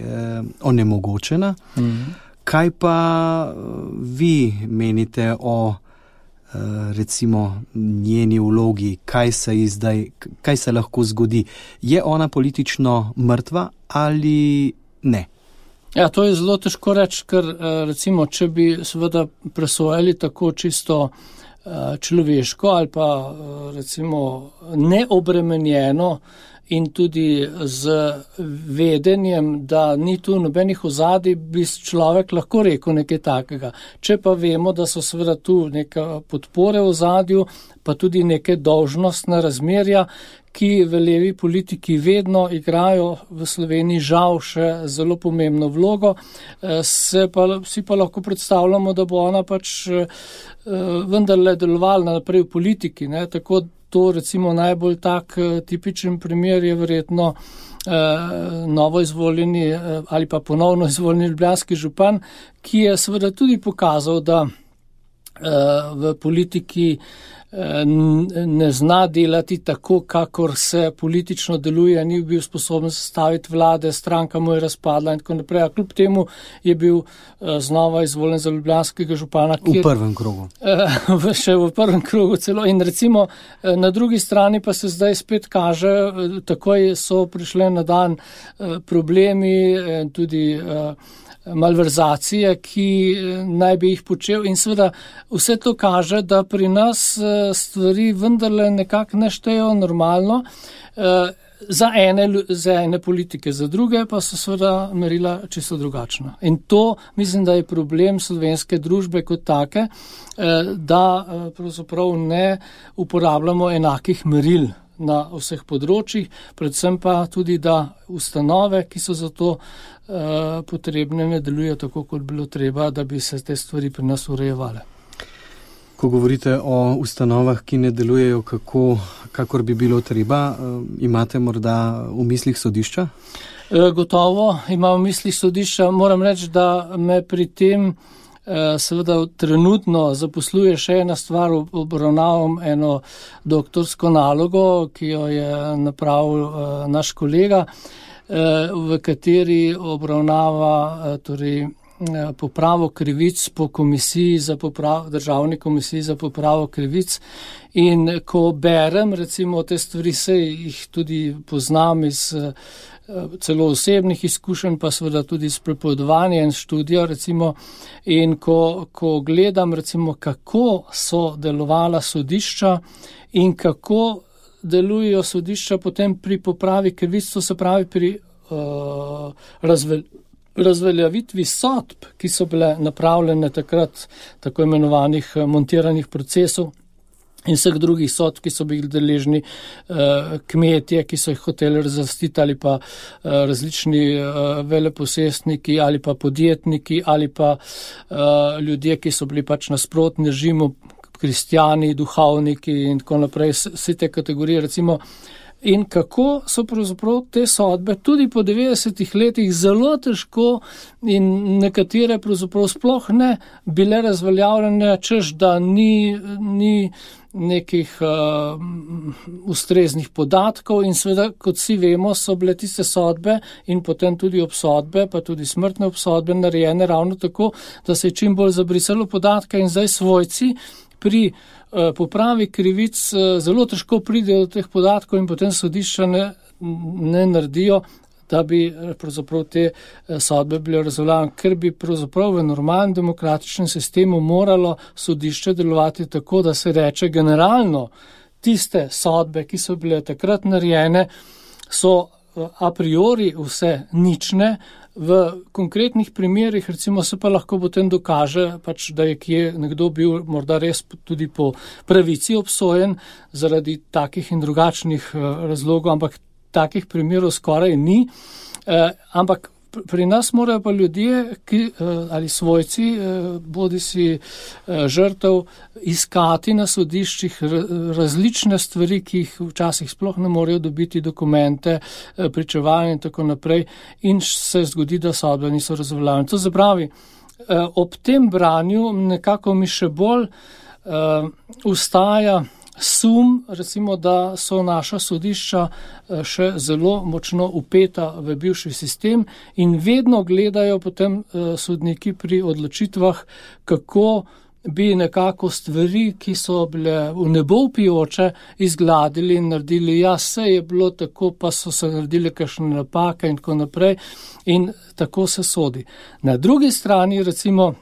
onemogočena. Kaj pa vi menite o recimo njeni vlogi, kaj se lahko zgodi? Je ona politično mrtva ali ne?
Ja, to je zelo težko reči, ker recimo, če bi seveda presojali tako čisto človeško ali pa recimo neobremenjeno in tudi z vedenjem, da ni tu nobenih ozadij, bi človek lahko rekel nekaj takega. Če pa vemo, da so seveda tu neka podpore v ozadju, pa tudi neke dolžnostne razmerja, ki v levi politiki vedno igrajo v Sloveniji žal še zelo pomembno vlogo, si pa lahko predstavljamo, da bo ona pač vendarle delovala naprej v politiki, ne? Tako to recimo najbolj tak tipičen primer je verjetno novo izvoljeni ali pa ponovno izvoljeni ljubljanski župan, ki je seveda tudi pokazal, da v politiki ne zna delati tako, kakor se politično deluje, ni bil sposoben sestaviti vlade, stranka mu je razpadla in tako naprej. A kljub temu je bil znova izvoljen za ljubljanskega župana.
V prvem krogu.
Še v prvem krogu celo. In recimo na drugi strani pa se zdaj spet kaže, takoj so prišle na dan problemi, tudi malverzacije, ki naj bi jih počel in seveda vse to kaže, da pri nas stvari vendarle nekako ne štejo normalno za ene politike, za druge pa so seveda merila čisto drugačna. In to mislim, da je problem slovenske družbe kot take, da pravzaprav ne uporabljamo enakih meril na vseh področjih, predvsem pa tudi, da ustanove, ki so za to potrebne, ne delujejo tako, kot bilo treba, da bi se te stvari pri nas urejevale.
Ko govorite o ustanovah, ki ne delujejo kakor bi bilo treba, imate morda v mislih sodišča?
Gotovo imam v mislih sodišča. Moram reči, da me pri tem seveda trenutno zaposluje še ena stvar, obravnavam eno doktorsko nalogo, ki jo je napravil naš kolega, v kateri obravnava torej popravo krivic po državni komisiji za popravo krivic. In ko berem recimo te stvari, se jih tudi poznam iz celo osebnih izkušenj, pa seveda tudi iz prepovedovanja in študija recimo. In ko gledam recimo, kako so delovala sodišča in kako delujejo sodišča potem pri popravi krivic, to se pravi pri razveljavitvi sodb, ki so bile napravljene takrat, tako imenovanih montiranih procesov, in vseh drugih sodb, ki so bili deležni kmetje, ki so jih hoteli razlastiti, ali pa različni veleposestniki, ali pa podjetniki, ali pa ljudje, ki so bili pač nasprotni režimu, kristjani, duhovniki in tako naprej, vse te kategorije, recimo. In kako so pravzaprav te sodbe tudi po 90 letih zelo težko in nekatere pravzaprav sploh ne bile razveljavljene, češ da ni nekih ustreznih podatkov in seveda, kot vsi vemo, so bile tiste sodbe in potem tudi obsodbe, pa tudi smrtne obsodbe narejene ravno tako, da se je čim bolj zabrisalo podatke in zdaj svojci pri popravi krivic zelo težko pridejo do teh podatkov in potem sodišča ne naredijo, da bi pravzaprav te sodbe bile razveljavljene, ker bi pravzaprav v normalnem demokratičnem sistemu moralo sodišče delovati tako, da se reče generalno tiste sodbe, ki so bile takrat narejene, so a priori vse nične. V konkretnih primerih recimo se pa lahko potem dokaže, pač, da je kje nekdo bil morda res tudi po pravici obsojen zaradi takih in drugačnih razlogov, ampak takih primerov skoraj ni. Ampak pri nas morajo pa ljudje ali svojci, bodi si žrtev, iskati na sodiščih različne stvari, ki jih včasih sploh ne morejo dobiti, dokumente, pričevanja in tako naprej, in se zgodi, da sodbe niso razveljavljene. To se pravi, ob tem branju nekako mi še bolj ustaja sum, recimo, da so naša sodišča še zelo močno upeta v bivši sistem in vedno gledajo potem sodniki pri odločitvah, kako bi nekako stvari, ki so bile v nebo vpijoče, izgladili in naredili, ja, se je bilo tako, pa so se naredili kakšne napake in tako naprej in tako se sodi. Na drugi strani, recimo,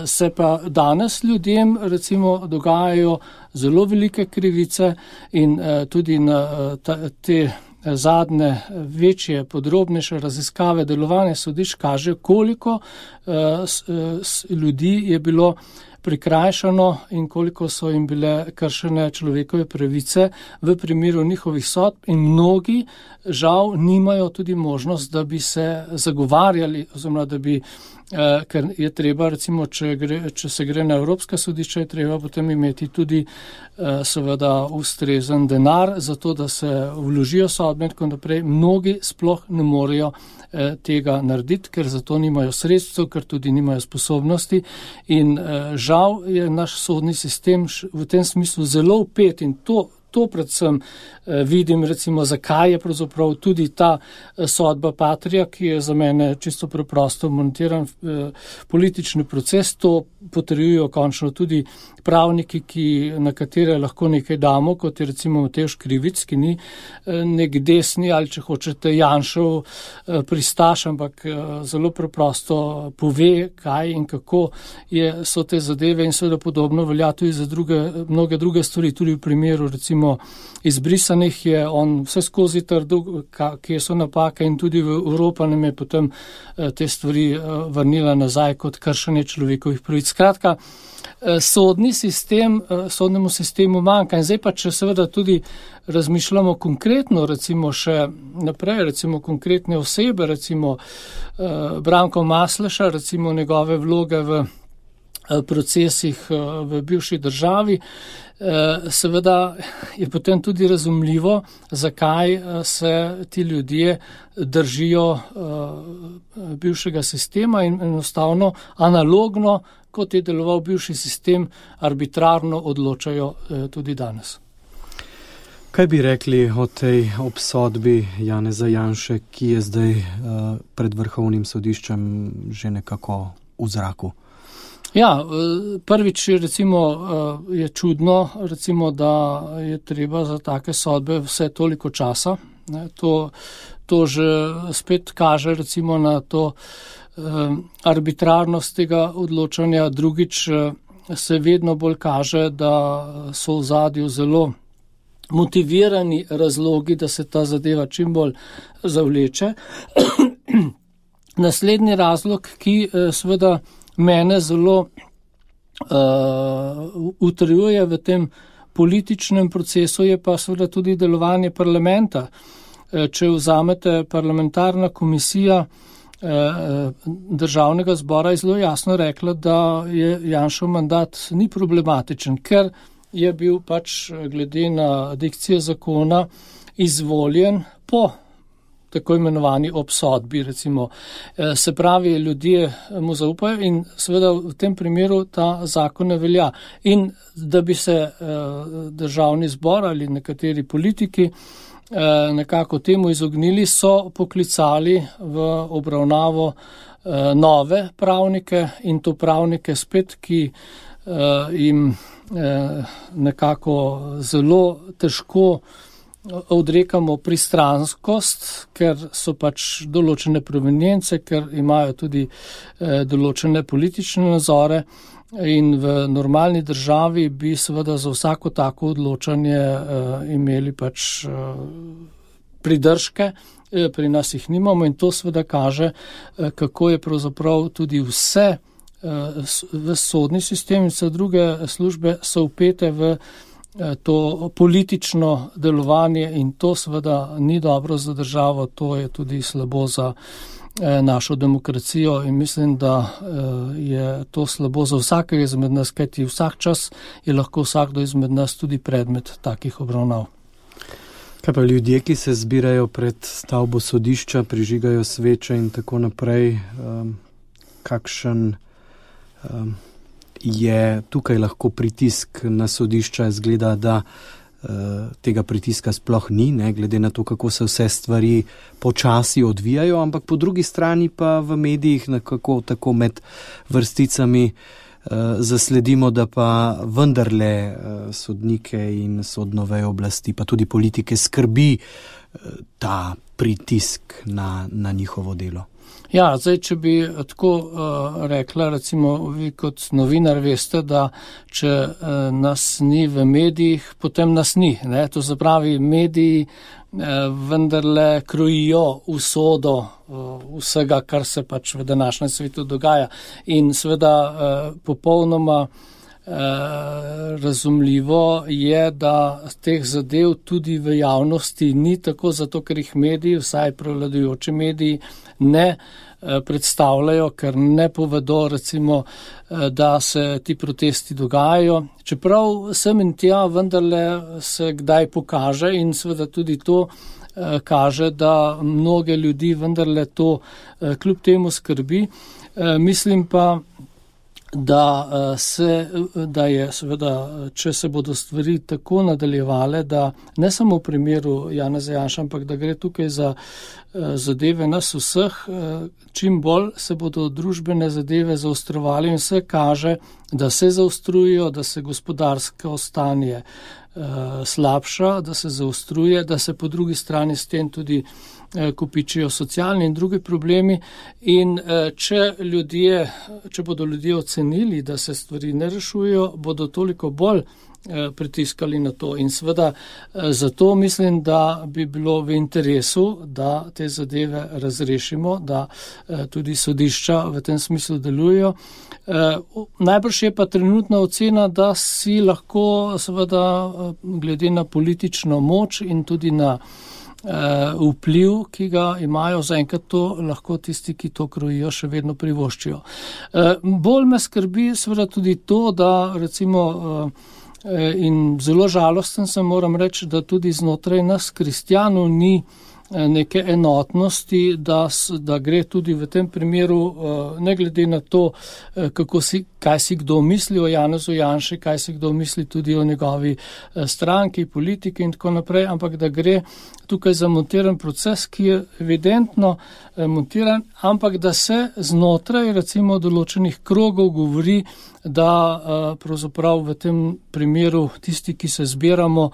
se pa danes ljudem recimo dogajajo zelo velike krivice in tudi na te zadnje, večje, podrobnejše raziskave delovanja sodišč kaže, koliko ljudi je bilo prikrajšano in koliko so jim bile kršene človekove pravice v primeru njihovih sodb in mnogi žal nimajo tudi možnost, da bi se zagovarjali oziroma da bi, ker je treba recimo, če se gre na Evropska sodišča, je treba potem imeti tudi seveda ustrezen denar za to, da se vložijo sodbe in tako naprej. Mnogi sploh ne morejo tega narediti, ker za to nimajo sredstev, ker tudi nimajo sposobnosti in žal je naš sodni sistem v tem smislu zelo vpet in to predvsem vidim, recimo, zakaj je pravzaprav tudi ta sodba Patria, ki je za mene čisto preprosto montiran politični proces, to potrjujejo končno tudi pravniki, na katere lahko nekaj damo, kot je recimo Matevž Krivic, ki ni nek desni ali če hočete Janšev pristaš, ampak zelo preprosto pove, kaj in kako so te zadeve in seveda podobno velja tudi za mnoge druge stvari, tudi v primeru recimo izbrisanih je on vse skozi trdil, kje so napake in tudi v Evropa nam je potem te stvari vrnila nazaj kot kršenje človekovih pravic. Skratka, sodnemu sistemu manjka in zdaj pa, če seveda tudi razmišljamo konkretno, recimo še naprej, recimo konkretne osebe, recimo Branko Masleša, recimo njegove vloge v procesih v bivši državi, seveda je potem tudi razumljivo, zakaj se ti ljudje držijo bivšega sistema in enostavno analogno, kot je deloval bivši sistem, arbitrarno odločajo tudi danes.
Kaj bi rekli o tej obsodbi Janeza Janše, ki je zdaj pred Vrhovnim sodiščem že nekako v zraku?
Ja, prvič recimo je čudno, recimo, da je treba za take sodbe vse toliko časa. To že spet kaže recimo na to arbitrarnost tega odločanja. Drugič se vedno bolj kaže, da so v ozadju zelo motivirani razlogi, da se ta zadeva čim bolj zavleče. Naslednji razlog, ki seveda mene zelo utrjuje v tem političnem procesu, je pa seveda tudi delovanje parlamenta. Če vzamete parlamentarna komisija Državnega zbora, je zelo jasno rekla, da je Janšov mandat ni problematičen, ker je bil pač glede na dikcijo zakona izvoljen po tako imenovani obsodbi, recimo. Se pravi, ljudje mu zaupajo in seveda v tem primeru ta zakon ne velja. In da bi se Državni zbor ali nekateri politiki nekako temu izognili, so poklicali v obravnavo nove pravnike in to pravnike spet, ki jim nekako zelo težko odrekamo pristranskost, ker so pač določene provenience, ker imajo tudi določene politične nazore in v normalni državi bi seveda za vsako tako odločanje imeli pač pridržke, pri nas jih nimamo in to seveda kaže, kako je pravzaprav tudi vse v sodni sistem in vse druge službe so vpete v to politično delovanje in to seveda ni dobro za državo, to je tudi slabo za našo demokracijo in mislim, da je to slabo za vsakega izmed nas, kajti vsak čas je lahko vsakdo izmed nas tudi predmet takih obravnav.
Kaj pa ljudje, ki se zbirajo pred stavbo sodišča, prižigajo sveče in tako naprej, kakšen je tukaj lahko pritisk na sodišča, izgleda, da tega pritiska sploh ni, ne, glede na to, kako se vse stvari počasi odvijajo, ampak po drugi strani pa v medijih nekako tako med vrsticami zasledimo, da pa vendarle sodnike in sodno vejo oblasti, pa tudi politike skrbi ta pritisk na njihovo delo.
Ja, zdaj, če bi tako rekla, recimo vi kot novinar veste, da če nas ni v medijih, potem nas ni. Ne? To se pravi, mediji vendarle krojijo usodo vsega, kar se pač v današnjem svetu dogaja. In seveda popolnoma razumljivo je, da teh zadev tudi v javnosti ni tako, zato ker jih mediji, vsaj prevladujoči mediji, ne predstavljajo, ker ne povedo, recimo, da se ti protesti dogajajo. Čeprav sem in tja vendarle se kdaj pokaže in seveda tudi to kaže, da mnoge ljudi vendarle to kljub temu skrbi. Mislim pa, da je seveda, če se bodo stvari tako nadaljevale, da ne samo v primeru Janeza Janše, ampak da gre tukaj za zadeve nas vseh, čim bolj se bodo družbene zadeve zaostrovali in vse kaže, da se zaostrujejo, da se gospodarsko stanje slabša, da se zaostruje, da se po drugi strani s tem tudi kopičijo socialni in drugi problemi in če bodo ljudje ocenili, da se stvari ne rešujejo, bodo toliko bolj pritiskali na to in seveda zato mislim, da bi bilo v interesu, da te zadeve razrešimo, da tudi sodišča v tem smislu delujejo. Najbrž je pa trenutna ocena, da si lahko seveda glede na politično moč in tudi na vpliv, ki ga imajo zaenkrat, to lahko tisti, ki to krojijo, še vedno privoščijo. Bolj me skrbi seveda tudi to, da recimo in zelo žalosten sem, moram reči, da tudi znotraj nas kristjanov ni neke enotnosti, da gre tudi v tem primeru, ne glede na to, kaj si kdo misli o Janezu Janši, kaj si kdo misli tudi o njegovi stranki, politiki in tako naprej, ampak da gre tukaj za montiran proces, ki je evidentno montiran, ampak da se znotraj recimo določenih krogov govori, da pravzaprav v tem primeru tisti, ki se zbiramo,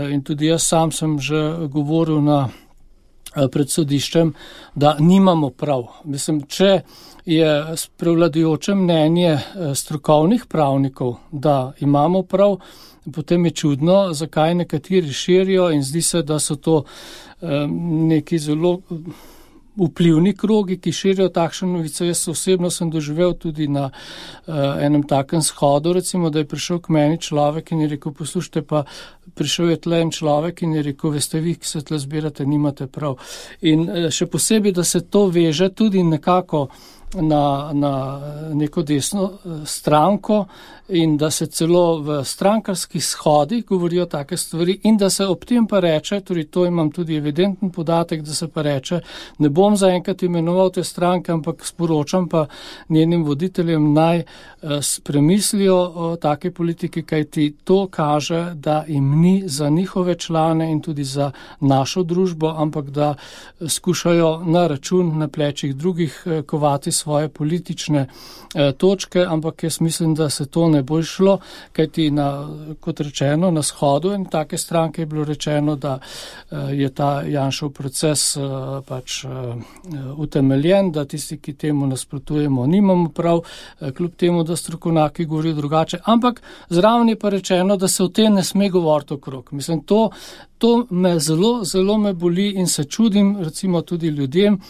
in tudi jaz sam sem že govoril na pred sodiščem, da nimamo prav. Mislim, če je prevladujoče mnenje strokovnih pravnikov, da imamo prav, potem je čudno, zakaj nekateri širijo in zdi se, da so to neki zelo vplivni krogi, ki širijo takšne novice. Jaz osebno sem doživel tudi na enem takem shodu, recimo, da je prišel k meni človek in je rekel, poslušajte, pa prišel je tle en človek in je rekel, veste vi, ki se tle zbirate, nimate prav. In še posebej, da se to veže tudi nekako na neko desno stranko in da se celo v strankarskih shodih govorijo take stvari in da se ob tem pa reče, torej to imam tudi evidenten podatek, da se pa reče, ne bom zaenkrat imenoval te stranke, ampak sporočam pa njenim voditeljem naj premislijo o take politiki, kajti to kaže, da jim ni za njihove člane in tudi za našo družbo, ampak da skušajo na račun, na plečih drugih kovati svoje politične točke, ampak jaz mislim, da se to ne bo šlo, kajti kot rečeno, na shodu in take stranke je bilo rečeno, da je ta Janšev proces pač utemeljen, da tisti, ki temu nasprotujemo, nimamo prav, kljub temu, da strokovnjaki govorijo drugače, ampak zraven je pa rečeno, da se o tem ne sme govoriti okrog. Mislim, to me zelo me boli in se čudim recimo tudi ljudem,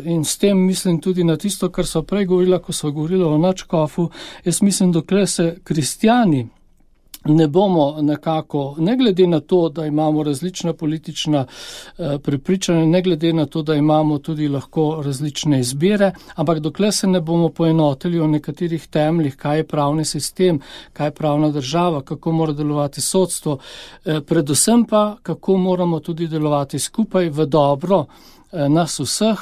in s tem mislim tudi na tisto, kar so prej govorila, ko so govorila o nadškofu. Jaz mislim, dokler se kristjani ne bomo nekako, ne glede na to, da imamo različna politična prepričanja, ne glede na to, da imamo tudi lahko različne izbire, ampak dokler se ne bomo poenotili o nekaterih temeljih, kaj je pravni sistem, kaj je pravna država, kako mora delovati sodstvo, predvsem pa, kako moramo tudi delovati skupaj v dobro nas vseh,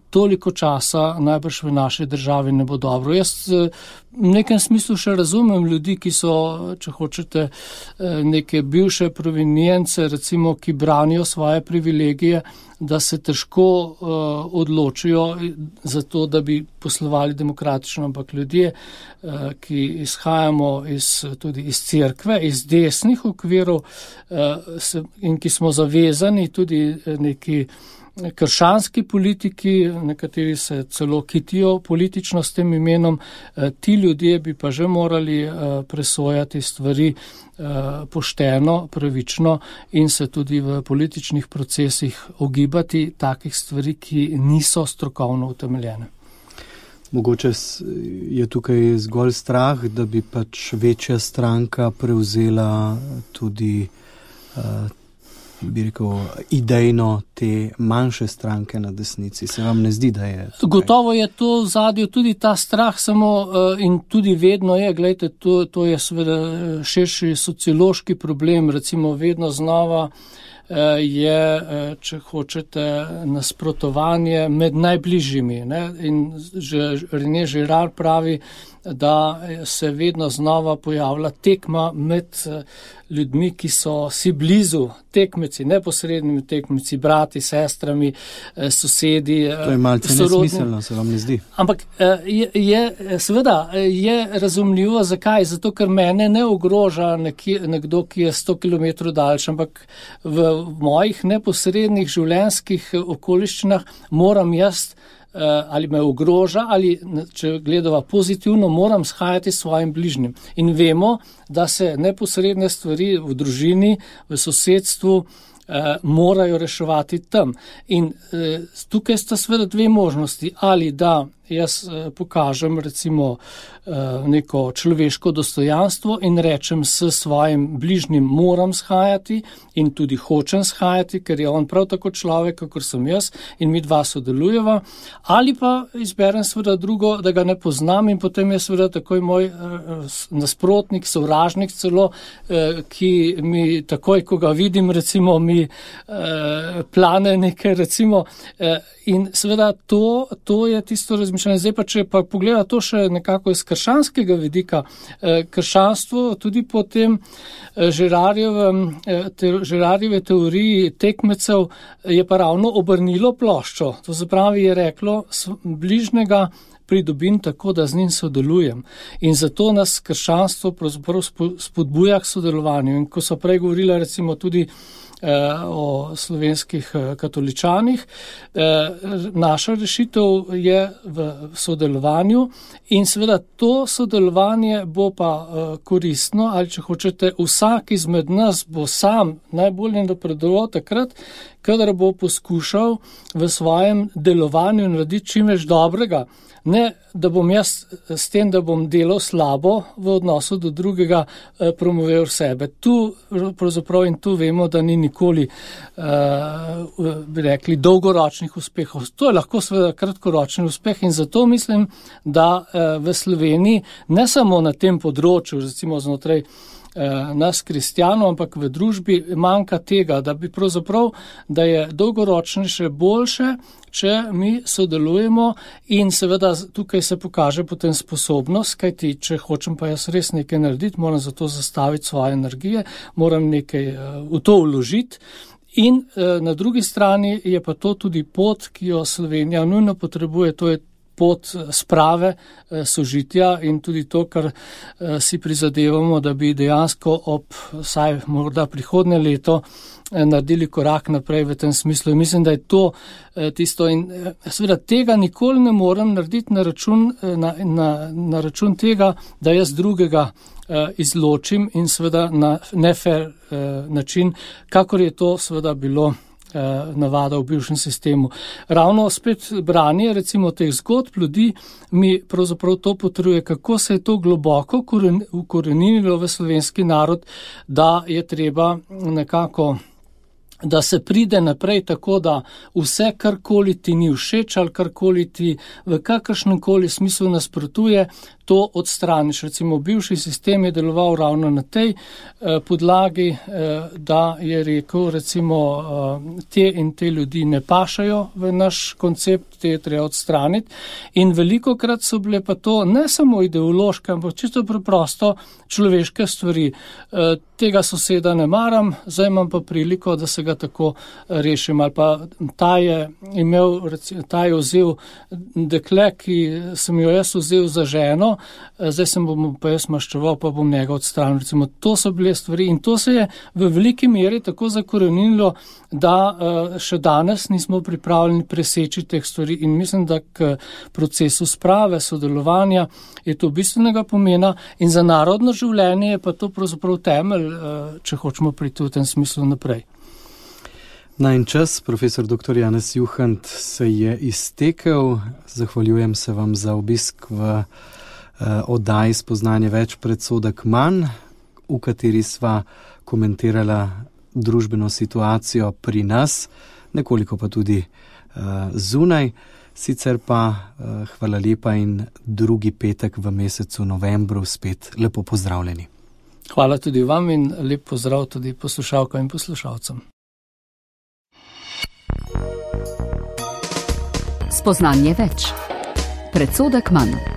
toliko časa najbrž v naši državi ne bo dobro. Jaz v nekem smislu še razumem ljudi, ki so, če hočete, neke bivše provinjence, recimo, ki branijo svoje privilegije, da se težko odločijo za to, da bi poslovali demokratično, ampak ljudje, ki izhajamo tudi iz cerkve, iz desnih okvirov in ki smo zavezani tudi neki krščanski politiki, nekateri se celo kitijo politično s tem imenom, ti ljudje bi pa že morali presojati stvari pošteno, pravično in se tudi v političnih procesih ogibati takih stvari, ki niso strokovno utemeljene.
Mogoče je tukaj zgolj strah, da bi pač večja stranka prevzela tudi bi rekel, idejno te manjše stranke na desnici. Se vam ne zdi, da je tukaj?
Gotovo je to v zadju tudi ta strah samo in tudi vedno je, gledajte, to je seveda širši sociološki problem, recimo vedno znova je, če hočete, nasprotovanje med najbližjimi. Ne? In René Girard pravi, da se vedno znova pojavlja tekma med ljudmi, ki so si blizu, tekmeci, neposrednimi tekmeci, brati, sestrami, sosedi.
To je malce nesmiselno, se vam ne zdi?
Ampak seveda je razumljivo, zakaj? Zato, ker mene ne ogroža nekdo, ki je 100 km daljši, ampak v mojih neposrednih življenjskih okoliščinah moram jaz ali me ogroža, ali če gledava pozitivno, moram shajati s svojim bližnjim. In vemo, da se neposredne stvari v družini, v sosedstvu morajo reševati tam. In tukaj sta seveda dve možnosti, ali da jaz pokažem recimo neko človeško dostojanstvo in rečem s svojim bližnjim moram shajati in tudi hočem shajati, ker je on prav tako človek, kakor sem jaz in mi dva sodelujeva, ali pa izberem seveda drugo, da ga ne poznam in potem je seveda takoj moj nasprotnik, sovražnik celo, ki mi takoj, ko ga vidim, recimo mi plane nekaj, recimo, in seveda to je tisto razmišljanje. Zdaj pa, če pa pogleda to še nekako iz krščanskega vidika, krščanstvo tudi po tem Girardjeve teoriji tekmecev je pa ravno obrnilo ploščo. To se pravi, je reklo bližnjega pridobim tako, da z njim sodelujem. In zato nas krščanstvo pravzaprav spodbuja k sodelovanju. In ko so prej govorila recimo tudi o slovenskih katoličanih. Naša rešitev je v sodelovanju in seveda to sodelovanje bo pa koristno, ali če hočete, vsak izmed nas bo sam najbolje napredoval takrat, kadar bo poskušal v svojem delovanju narediti čim več dobrega. Ne, da bom jaz s tem, da bom delal slabo v odnosu do drugega, promoviral sebe. Tu pravzaprav in tu vemo, da ni nikoli, bi rekli, dolgoročnih uspehov. To je lahko seveda kratkoročni uspeh in zato mislim, da v Sloveniji ne samo na tem področju, recimo znotraj nas kristjanov, ampak v družbi manjka tega, da bi pravzaprav, da je dolgoročnejše boljše, če mi sodelujemo in seveda tukaj se pokaže potem sposobnost, kajti če hočem pa jaz res nekaj narediti, moram za to zastaviti svoje energije, moram nekaj v to vložiti. In na drugi strani je pa to tudi pot, ki jo Slovenija nujno potrebuje, to je pot sprave, sožitja in tudi to, kar si prizadevamo, da bi dejansko ob vsaj morda prihodnje leto naredili korak naprej v tem smislu. In mislim, da je to tisto in seveda tega nikoli ne morem narediti na račun tega, da jaz drugega izločim in seveda na nefair način, kakor je to seveda bilo navada v bivšem sistemu. Ravno spet branje recimo teh zgodb ljudi mi pravzaprav to potrjuje, kako se je to globoko ukoreninilo v slovenski narod, da je treba nekako, da se pride naprej tako, da vse, karkoli ti ni všeč ali karkoli ti v kakršnemkoli smislu nasprotuje, to odstraniš. Recimo bivši sistem je deloval ravno na tej podlagi, da je rekel recimo te in te ljudi ne pašajo v naš koncept, te je treba odstraniti in velikokrat so bile pa to ne samo ideološke, ampak čisto preprosto človeške stvari. Tega soseda ne maram, zdaj imam pa priliko, da se ga tako rešim. Ali pa ta je vzel dekle, ki sem jo jaz vzel za ženo, zdaj sem bom pa jaz maščeval, pa bom njega odstranil. Recimo, to so bile stvari in to se je v veliki meri tako zakorenilo, da še danes nismo pripravljeni preseči teh stvari in mislim, da k procesu sprave, sodelovanja je to bistvenega pomena in za narodno življenje je pa to pravzaprav temelj, če hočemo priti v tem smislu naprej.
Najin čas, profesor dr. Janez Juhant, se je iztekel. Zahvaljujem se vam za obisk v oddaji Spoznanje več, predsodek manj, v kateri sva komentirala družbeno situacijo pri nas, nekoliko pa tudi zunaj. Sicer pa hvala lepa in drugi petek v mesecu novembru spet lepo pozdravljeni.
Hvala tudi vam in lep pozdrav tudi poslušalkam in poslušalcem.
Spoznanje več. Predsodek manj.